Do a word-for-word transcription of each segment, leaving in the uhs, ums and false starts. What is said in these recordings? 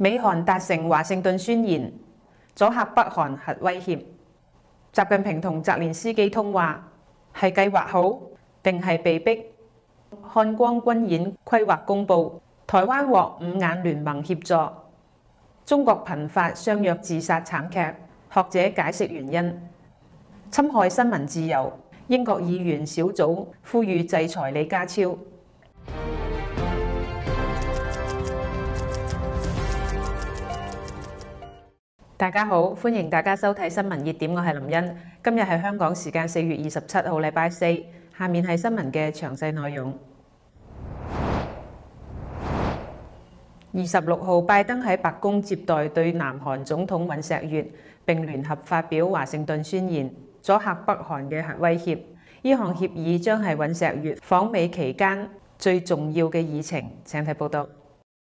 美韓達成華盛頓宣言，阻嚇北韓核威脅。習近平同澤連斯基通話，係計劃好定係被逼？漢光軍演規劃公佈，台灣獲五眼聯盟協助。中國頻發相約自殺慘劇，學者解釋原因。侵害新聞自由，英國議員小組呼籲制裁李家超。大家好，歡迎大家收睇新聞熱點，我係林茵。今日係香港時間四月二十七號，禮拜四。下面係新聞嘅詳細內容。二十六號，拜登喺白宮接待對南韓總統尹錫悅，並聯合發表華盛頓宣言，阻嚇北韓嘅核威脅。呢項協議將係尹錫悅訪美期間最重要嘅議程。請睇報道。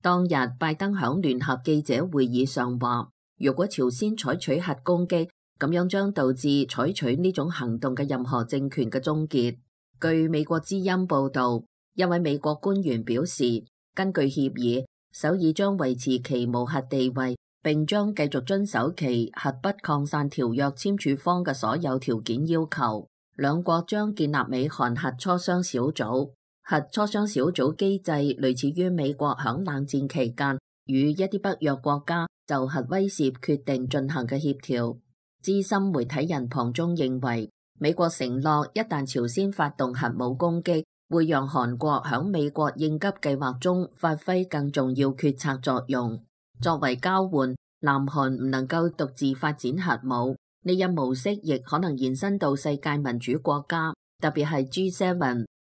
當日，拜登響聯合記者會議上話，如果朝鮮採取核攻擊，咁樣將導致採取呢種行動嘅任何政權嘅終結。據美國之音報道，一位美國官員表示，根據協議，首爾將維持其無核地位，並將繼續遵守其核不擴散條約簽署方嘅所有條件要求。兩國將建立美韓核磋商小組。核磋商小組機制類似於美國響冷戰期間與一啲北約國家就核威懾決定進行嘅協調。資深媒體人龐中認為，美國承諾一旦朝鮮發動核武攻擊，會讓韓國響美國應急計劃中發揮更重要決策作用。作為交換，南韓唔能夠獨自發展核武，呢一模式亦可能延伸到世界民主國家，特別係 G 七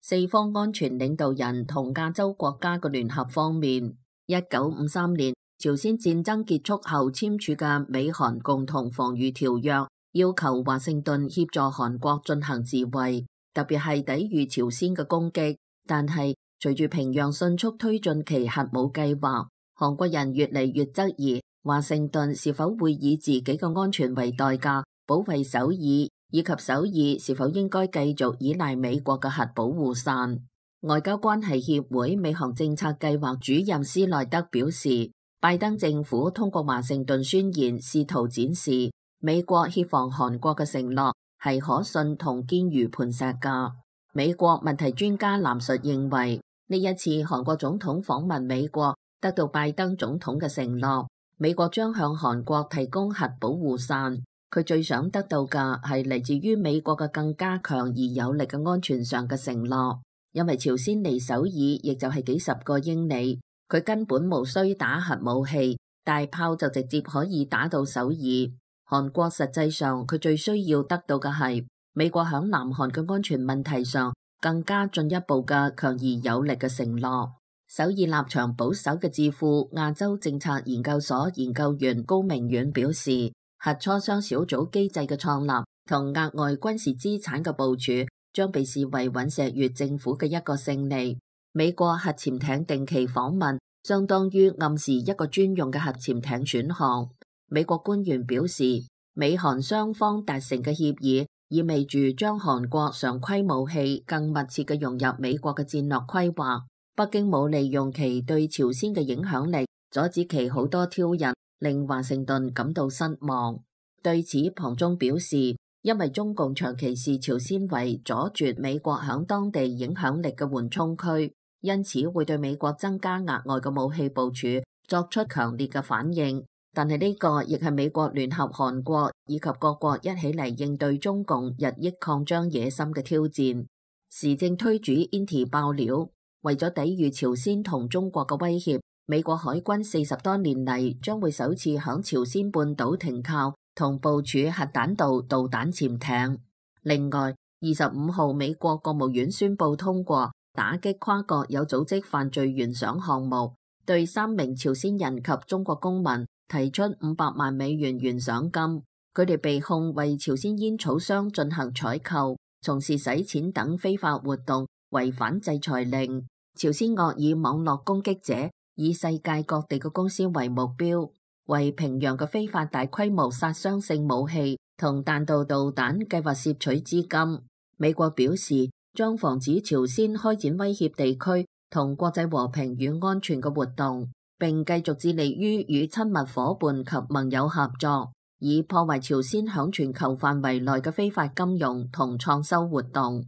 四方安全領導人同亞洲國家嘅聯合方面。一九五三年朝鮮戰爭結束後簽署嘅美韓共同防禦條約，要求華盛頓協助韓國進行自衛，特別係抵禦朝鮮嘅攻擊。但係隨住平壤迅速推進其核武計劃，韓國人越嚟越質疑華盛頓是否會以自己嘅安全為代價保衛首爾，以及首爾是否應該繼續依賴美國嘅核保護傘。外交關係協會美韓政策計劃主任斯內德表示，拜登政府通過華盛頓宣言試圖展示美國協防韓國嘅承諾係可信同堅如磐石㗎。美國問題專家藍述認為，呢一次韓國總統訪問美國得到拜登總統嘅承諾，美國將向韓國提供核保護傘。佢最想得到嘅係嚟自於美國嘅更加強而有力嘅安全上嘅承諾。因為朝鮮離首爾亦就係幾十個英里，佢根本無需打核武器，大炮就直接可以打到首爾。韓國實際上佢最需要得到嘅係美國響南韓嘅安全問題上更加進一步嘅強而有力嘅承諾。首爾立場保守嘅智庫亞洲政策研究所研究員高明遠表示，核磋商小組機制嘅創立同額外軍事資產嘅部署將被視為尹錫悅政府嘅一個勝利。美國核潛艇定期訪問相當於暗示一個專用嘅核潛艇選項。美國官員表示，美韓雙方達成嘅協議意味住將韓國常規武器更密切嘅融入美國嘅戰略規劃。北京冇利用其對朝鮮嘅影響力阻止其好多挑釁，令華盛頓感到失望。對此，龐中表示，因為中共長期視朝鮮為阻絕美國響當地影響力嘅緩衝區，因此會對美國增加額外嘅武器部署作出強烈嘅反應。但係呢個亦係美國聯合韓國以及各國一起嚟應對中共日益擴張野心嘅挑戰。時政推主 Inti 爆料，為咗抵禦朝鮮同中國嘅威脅，美國海軍四十多年嚟將會首次響朝鮮半島停靠同部署核彈道導彈潛艇。另外，二十五號美國國務院宣布通過打擊跨國有組織犯罪懸賞項目，對三名朝鮮人及中國公民提出五百萬美元懸賞金。佢哋被控為朝鮮煙草商進行採購、從事洗錢等非法活動，違反制裁令。朝鮮惡以網絡攻擊者以世界各地嘅公司為目標，為平壤嘅非法大規模殺傷性武器同彈道導彈計劃攝取資金。美國表示將防止朝鮮開展威脅地區同國際和平與安全嘅活動。並繼續致力於與親密夥伴及盟友合作，以破壞朝鮮響全球範圍內嘅非法金融同創收活動。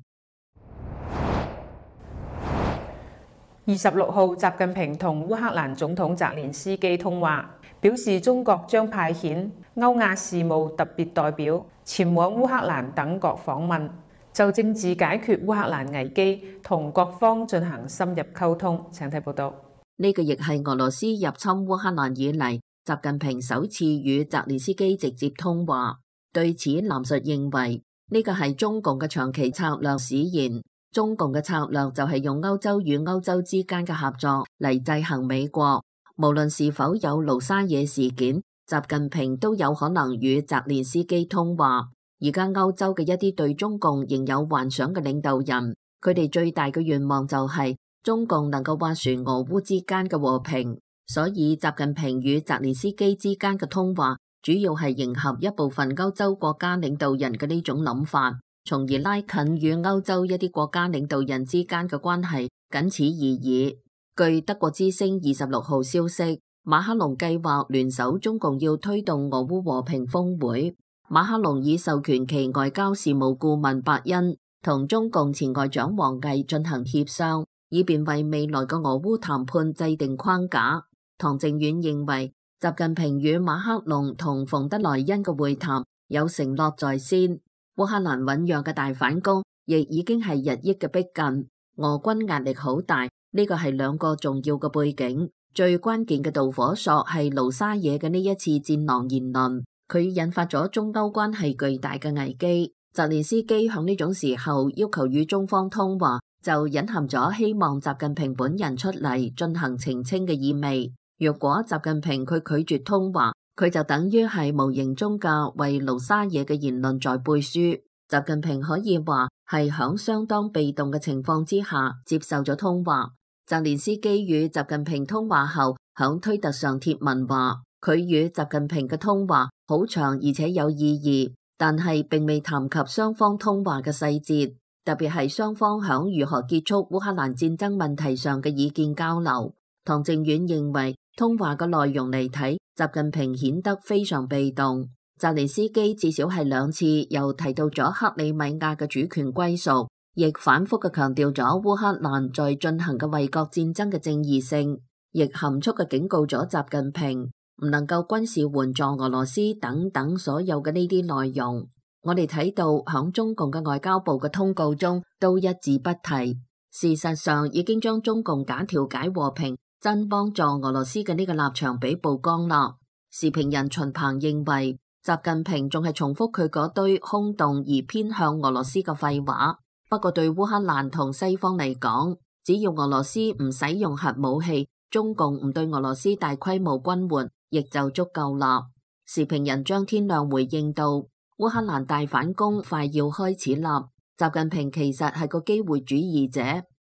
二十六號，習近平同烏克蘭總統澤連斯基通話，表示中國將派遣歐亞事務特別代表前往烏克蘭等國訪問，就政治解決烏克蘭危機同各方進行深入溝通。請睇報道。呢個亦係俄羅斯入侵烏克蘭以嚟，習近平首次與澤連斯基直接通話。對此，藍述認為呢個係中共嘅長期策略使然。中共嘅策略就係用歐洲與歐洲之間嘅合作嚟制衡美國。無論是否有盧沙野事件，習近平都有可能與澤連斯基通話。而家歐洲嘅一啲對中共仍有幻想嘅領導人，佢哋最大嘅願望就係中共能夠斡旋俄烏之間嘅和平。所以習近平與澤連斯基之間嘅通話，主要係迎合一部分歐洲國家領導人嘅呢種諗法，從而拉近與歐洲一啲國家領導人之間嘅關係，僅此而已。據德國之聲二十六號消息，馬克龍計劃聯手中共要推動俄烏和平峰會。馬克龍已授權其外交事務顧問伯恩同中共前外長王毅進行協商，以便為未來嘅俄烏談判制定框架。唐靖遠認為，習近平與馬克龍同馮德萊恩嘅會談有承諾在先。烏克蘭醞釀嘅大反攻亦已經係日益嘅逼近，俄軍壓力好大，呢個係兩個重要嘅背景。最關鍵嘅導火索係盧沙野嘅呢一次戰狼言論，佢引發咗中歐關係巨大嘅危機。澤連斯基響呢種時候要求與中方通話，就隱含咗希望習近平本人出嚟進行澄清嘅意味。若果習近平佢拒絕通話，佢就等於係無形中嘅為盧沙野嘅言論在背書。習近平可以話係響相當被動嘅情況之下接受咗通話。澤連斯基與習近平通話後，響推特上貼文話，佢與習近平嘅通話好長而且有意義，但係並未談及雙方通話嘅細節，特別係雙方響如何結束烏克蘭戰爭問題上嘅意見交流。唐靖遠認為，通話嘅內容嚟睇，習近平顯得非常被動。澤連斯基至少係兩次又提到咗克里米亞嘅主權歸屬，亦反覆嘅強調咗烏克蘭在進行嘅衛國戰爭嘅正義性，亦含蓄嘅警告咗習近平唔能夠軍事援助俄羅斯等等所有嘅呢啲內容。我哋睇到響中共嘅外交部嘅通告中都一字不提，事實上已經將中共假調解和平、真幫助俄羅斯嘅呢個立場俾曝光啦。時評人秦鵬認為，習近平仲係重複佢嗰堆空洞而偏向俄羅斯嘅廢話。不過對烏克蘭同西方嚟講，只要俄羅斯唔使用核武器，中共唔對俄羅斯大規模軍援，亦就足夠啦。時評人張天亮回應到，烏克蘭大反攻快要開始啦，習近平其實係個機會主義者，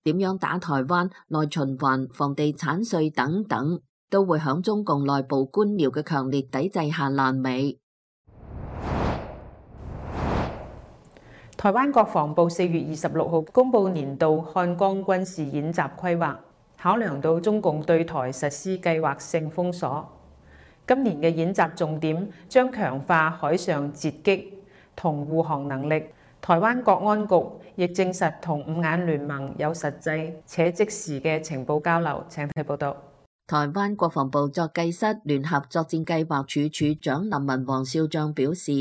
點樣打台灣、內循環、房地產稅等等，都會響中共內部官僚嘅強烈抵制下爛尾。台灣國防部四月二十六號公布年度漢光軍事演習規劃，考量到中共對台實施計劃性封鎖，今年嘅演習重點將強化海上截擊同護航能力。台灣國安局亦證實同五眼聯盟有實際且即時嘅情報交流。請睇報道。台灣國防部作計室聯合作戰計劃處處長林文黃少將表示，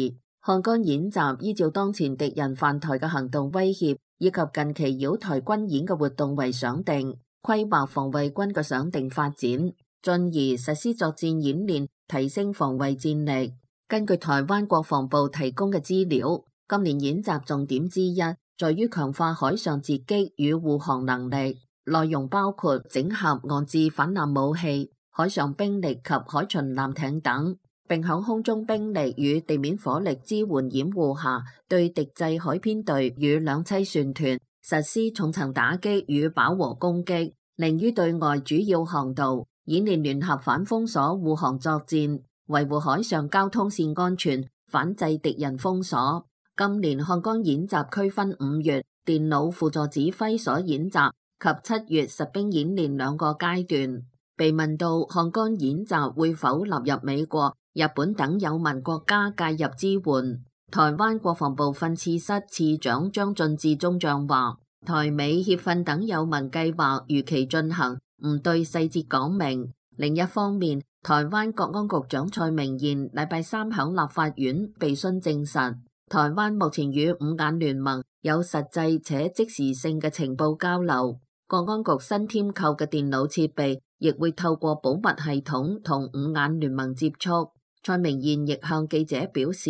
漢光演習依照當前敵人犯台嘅行動威脅以及近期擾台軍演嘅活動為想定，規劃防衛軍嘅想定發展，進而實施作戰演練，提升防衛戰力。根據台灣國防部提供嘅資料，今年演習重點之一在於強化海上截擊與護航能力，內容包括整合岸置反艦武器、海上兵力及海巡艦艇等，並喺空中兵力與地面火力支援掩護下，對敵製海編隊與兩棲船團實施重層打擊與飽和攻擊。另於對外主要航道演練聯合反封鎖護航作戰，維護海上交通線安全，反制敵人封鎖。今年漢光演習區分五月電腦輔助指揮所演習及七月實兵演練兩個階段，被問到漢江演習會否納入美國、日本等友盟國家介入支援，台灣國防部訓次室次長張進志中將話：台美協訓等友盟計劃如期進行，唔對細節講明。另一方面，台灣國安局長蔡明彥禮拜三響立法院被詢證實，台灣目前與五眼聯盟有實際且即時性嘅情報交流。國安局新添購嘅電腦設備亦會透過保密系統同五眼聯盟接觸。蔡明彥亦向記者表示，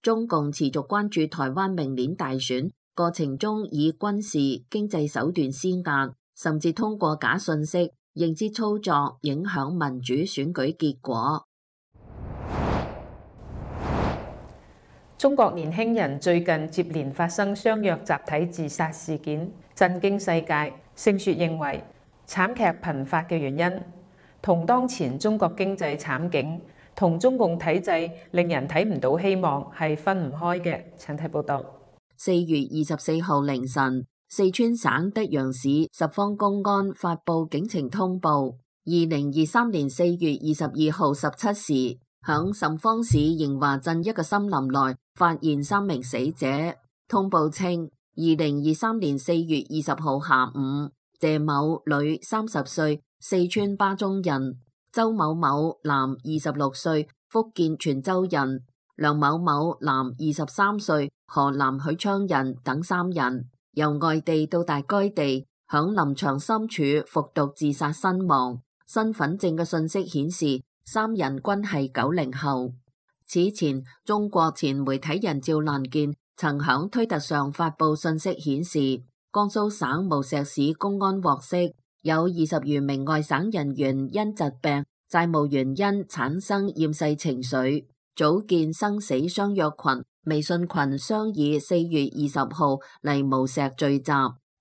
中共持續關注台灣明年大選過程中以軍事、經濟手段施壓，甚至通過假訊息、認知操作影響民主選舉結果。中國年輕人最近接連發生相約集體自殺事件，震驚世界。盛雪認為，慘劇頻發嘅原因同當前中國經濟慘境同中共體制令人睇唔到希望係分唔開嘅。請睇報道。四月二十四號凌晨，四川省德陽市十方公安發布警情通報：二零二三年四月二十二號十七時，響什方市迎華鎮一個森林內發現三名死者。通報稱，二零二三年四月二十號下午，謝某女三十歲，四川巴中人；周某某男二十六歲，福建泉州人；梁某某男二十三歲，河南許昌人等三人由外地到達該地，響林場深處服毒自殺身亡。身份證嘅信息顯示，三人均係九零後。此前，中國前媒體人趙蘭健曾響推特上發布信息顯示，江蘇省無錫市公安獲悉，有二十餘名外省人員因疾病、債務原因產生厭世情緒，組建生死相約群微信群，商議四月二十號嚟無錫聚集，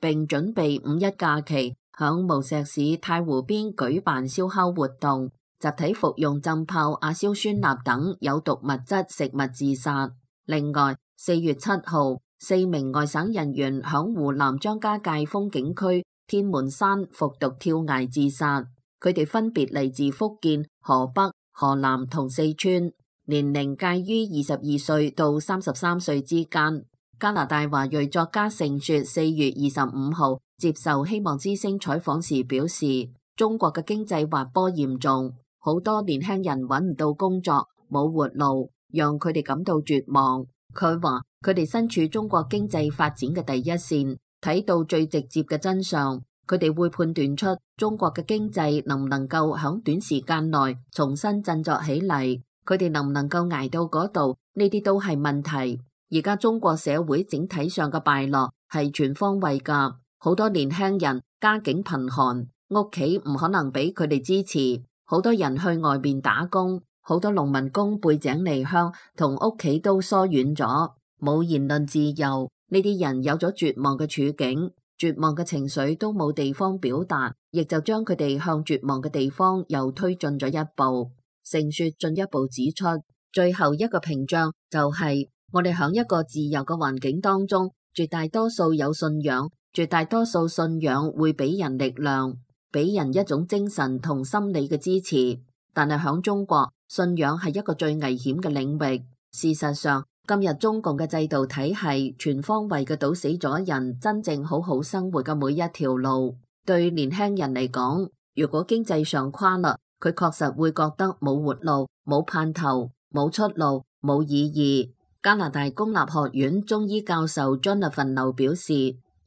並準備五一假期響無錫市太湖邊舉辦燒烤活動，集體服用浸泡亞硝酸鈉等有毒物質食物自殺。另外，四月七號，四名外省人員響湖南張家界風景區天門山服毒跳崖自殺。佢哋分別嚟自福建、河北、河南同四川，年齡介於二十二歲到三十三歲之間。加拿大華裔作家盛雪四月二十五號接受希望之聲採訪時表示，中國嘅經濟滑坡嚴重，好多年輕人揾唔到工作，冇活路，讓佢哋感到絕望。佢話佢哋身處中國經濟發展嘅第一線，睇到最直接嘅真相，佢哋會判斷出中國嘅經濟能唔能夠響短時間內重新振作起嚟，佢哋能唔能夠捱到嗰度，呢啲都係問題。而家中國社會整體上嘅敗落係全方位㗎，好多年輕人家境貧寒，屋企唔可能俾佢哋支持，好多人去外面打工。好多農民工背井離鄉，同屋企都疏遠咗，冇言論自由。呢啲人有咗絕望嘅處境，絕望嘅情緒都冇地方表達，亦就將佢哋向絕望嘅地方又推進咗一步。盛雪進一步指出，最後一個屏障就係、是、我哋響一個自由嘅環境當中，絕大多數有信仰，絕大多數信仰會俾人力量，俾人一種精神同心理嘅支持。但係響中國，信仰係一個最危險嘅領域。事實上，今日中共嘅制度體系全方位嘅堵死咗人真正好好生活嘅每一條路。對年輕人嚟講，如果經濟上垮啦，佢確實會覺得冇活路、冇盼頭、冇出路、冇意義。加拿大公立學院中醫教授 Jonathan 劉表示，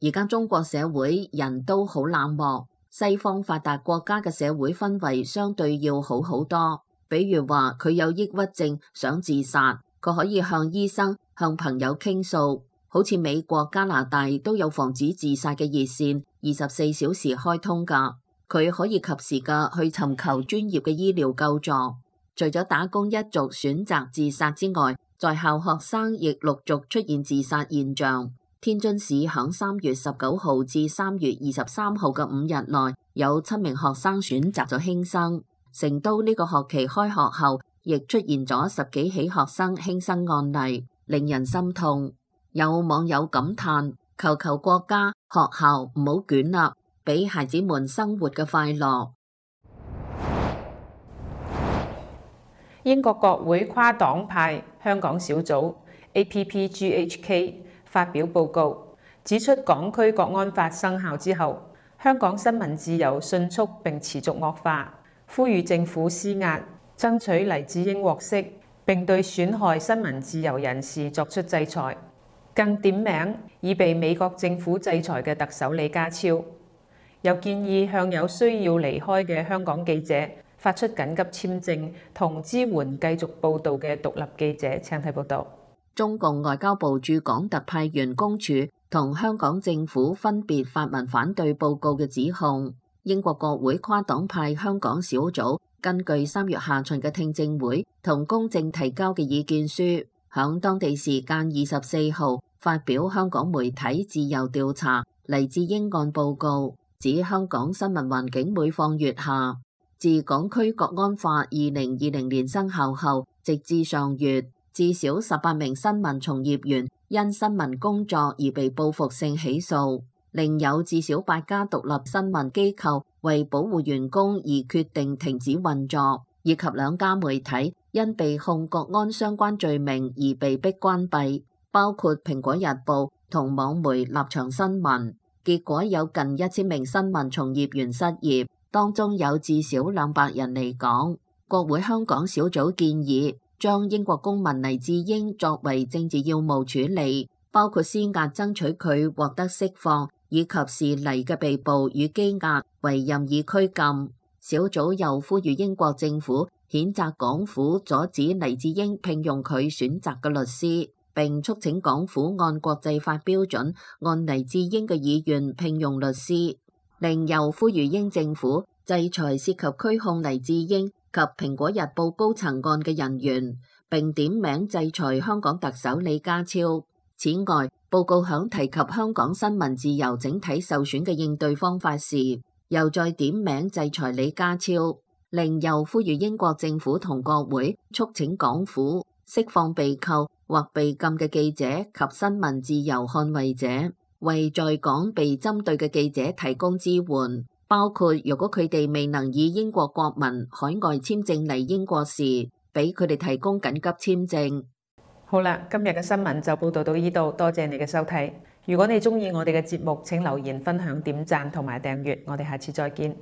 而家中國社會人都好冷漠。西方發達國家嘅社會氛圍相對要好好多，比如話佢有抑鬱症想自殺，佢可以向醫生、向朋友傾訴，好似美國、加拿大都有防止自殺嘅熱線，二十四小時開通㗎，佢可以及時嘅去尋求專業嘅醫療救助。除咗打工一族選擇自殺之外，在校學生亦陸續出現自殺現象。天津市響三月十九號至三月二十三號嘅五日內，有七名學生選擇咗輕生。成都呢個學期開學後，亦出現咗十幾起學生輕生案例，令人心痛。有網友感嘆：求求國家、學校唔好捲啦，俾孩子們生活嘅快樂。英國國會跨黨派香港小組 A P P G H K 發表報告，指出港區國安法生效之後，香港新聞自由迅速並持續惡化，呼籲政府施壓，爭取黎智英獲釋，並對損害新聞自由人士作出制裁。更點名已被美國政府制裁嘅特首李家超，又建議向有需要離開嘅香港記者發出緊急簽證，同支援繼續報導嘅獨立記者。請睇報導。中共外交部駐港特派員公署同香港政府分別發文反對報告嘅指控。英國國會跨黨派香港小組根據三月下旬嘅聽證會同公正提交嘅意見書，響當地時間二十四號發表香港媒體自由調查黎智英案報告，指香港新聞環境每況愈下。自港區國安法二零二零年生效後，直至上月，至少十八名新聞從業員因新聞工作而被報復性起訴，另有至少八家獨立新聞機構為保護員工而決定停止運作，以及兩家媒體因被控國安相關罪名而被迫關閉，包括蘋果日報同網媒立場新聞。結果有近一千名新聞從業員失業，當中有至少兩百人離港。國會香港小組建議將英國公民黎智英作為政治要務處理，包括施壓爭取佢獲得釋放，以及視黎嘅被捕與羈押為任意拘禁。小組又呼籲英國政府譴責港府阻止黎智英聘用佢選擇嘅律師，並促請港府按國際法標準，按黎智英嘅意願聘用律師。另又呼籲英政府制裁涉及拘控黎智英及蘋果日報高層案嘅人員，並點名制裁香港特首李家超。此外，報告響提及香港新聞自由整體受損嘅應對方法時，又再點名制裁李家超。另又呼籲英國政府同國會促請港府釋放被扣或被禁嘅記者及新聞自由捍衛者，為在港被針對嘅記者提供支援，包括如果佢哋未能以英國國民海外簽證嚟英國時，俾佢哋提供緊急簽證。好啦，今日嘅新聞就報道到呢度，多謝你嘅收睇。如果你鍾意我哋嘅節目，請留言、分享、點讚同埋訂閱。我哋下次再見。